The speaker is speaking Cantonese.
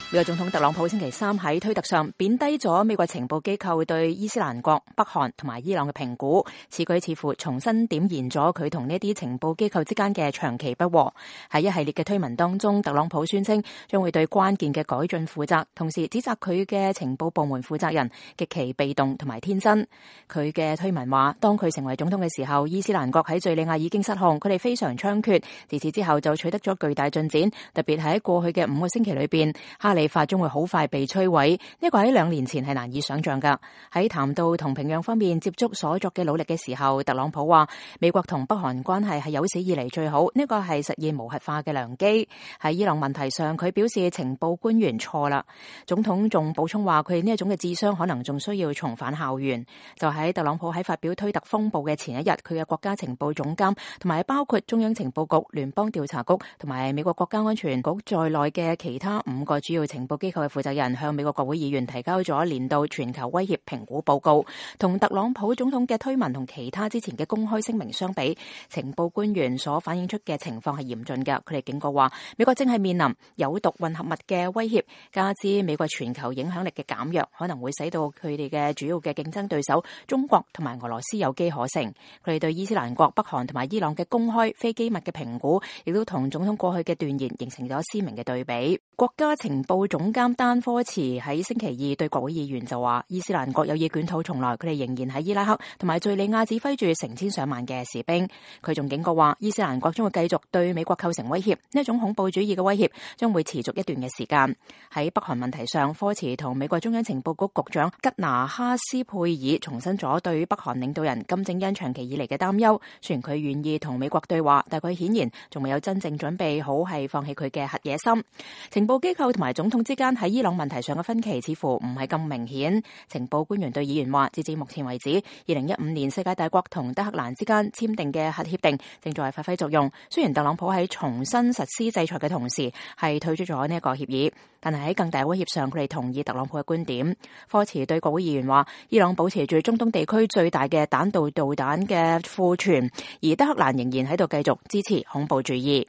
美國總統特朗普星期三喺推特上貶低咗美國情報機構對伊斯蘭國、北韓同埋伊朗嘅評估，此舉似乎重新點燃咗佢同呢啲情報機構之間嘅長期不和。喺一系列嘅推文當中，特朗普宣稱將會對關鍵嘅改進負責，同時指責佢嘅情報部門負責人極其被動同埋天真。佢嘅推文話，當佢成為總統嘅時候，伊斯蘭國喺敘利亞已經失控，佢哋非常猖獗，自此之後就取得咗巨大進展，特別喺過去嘅5個星期裏邊，哈里發將會好快被摧毀，呢個喺2年前係難以想象噶。喺談到同平壤方面接觸所作嘅努力嘅時候，特朗普話美國同北韓關係係有史以嚟最好，呢個係實現無核化嘅良機。喺伊朗問題上，佢表示情報官員錯啦。總統仲補充話，佢哋呢一種嘅智商可能仲需要重返校園。就喺特朗普喺發表推特風暴嘅前一日，佢嘅國家情報總監同埋包括中央情報局、聯邦調查局同埋美國國家安全局在內嘅其他5個主要情報機構嘅負責人向美國國會議員提交咗年度全球威脅評估報告。同特朗普總統嘅推文同其他之前嘅公開聲明相比，情報官員所反映出嘅情況係嚴峻嘅。佢哋警告話，美國正係面臨有毒混合物嘅威脅，加之美國全球影響力嘅減弱，可能會使到佢哋嘅主要嘅競爭對手中國同埋俄羅斯有機可乘。佢哋對伊斯蘭國、北韓同埋伊朗嘅公開非機密嘅評估，亦都同總統過去嘅斷言形成咗鮮明嘅對比。國家情報總監丹科茨喺星期二對國會議員就話，伊斯蘭國有意捲土重來，佢哋仍然喺伊拉克同埋敘利亞指揮住成千上萬嘅士兵。佢仲警告話，伊斯蘭國將會繼續對美國構成威脅，呢一種恐怖主義嘅威脅將會持續一段嘅時間。喺北韓問題上，科茨同美國中央情報局局長吉拿哈斯佩爾重申咗對北韓領導人金正恩長期以嚟嘅擔憂。雖然佢願意同美國對話，但佢顯然仲未有真正準備好係放棄佢嘅核野心。情報機構同埋總統之間喺伊朗問題上嘅分歧似乎唔係咁明顯。情報官員對議員話，截至目前為止，2015年世界大國同德黑蘭之間簽訂嘅核協定正在發揮作用。雖然特朗普喺重新實施制裁嘅同時係退出咗呢一個協議，但係喺更大威脅上，佢哋同意特朗普嘅觀點。科茨對國會議員話，伊朗保持住中東地區最大嘅彈道導彈嘅庫存，而德黑蘭仍然喺度繼續支持恐怖主義。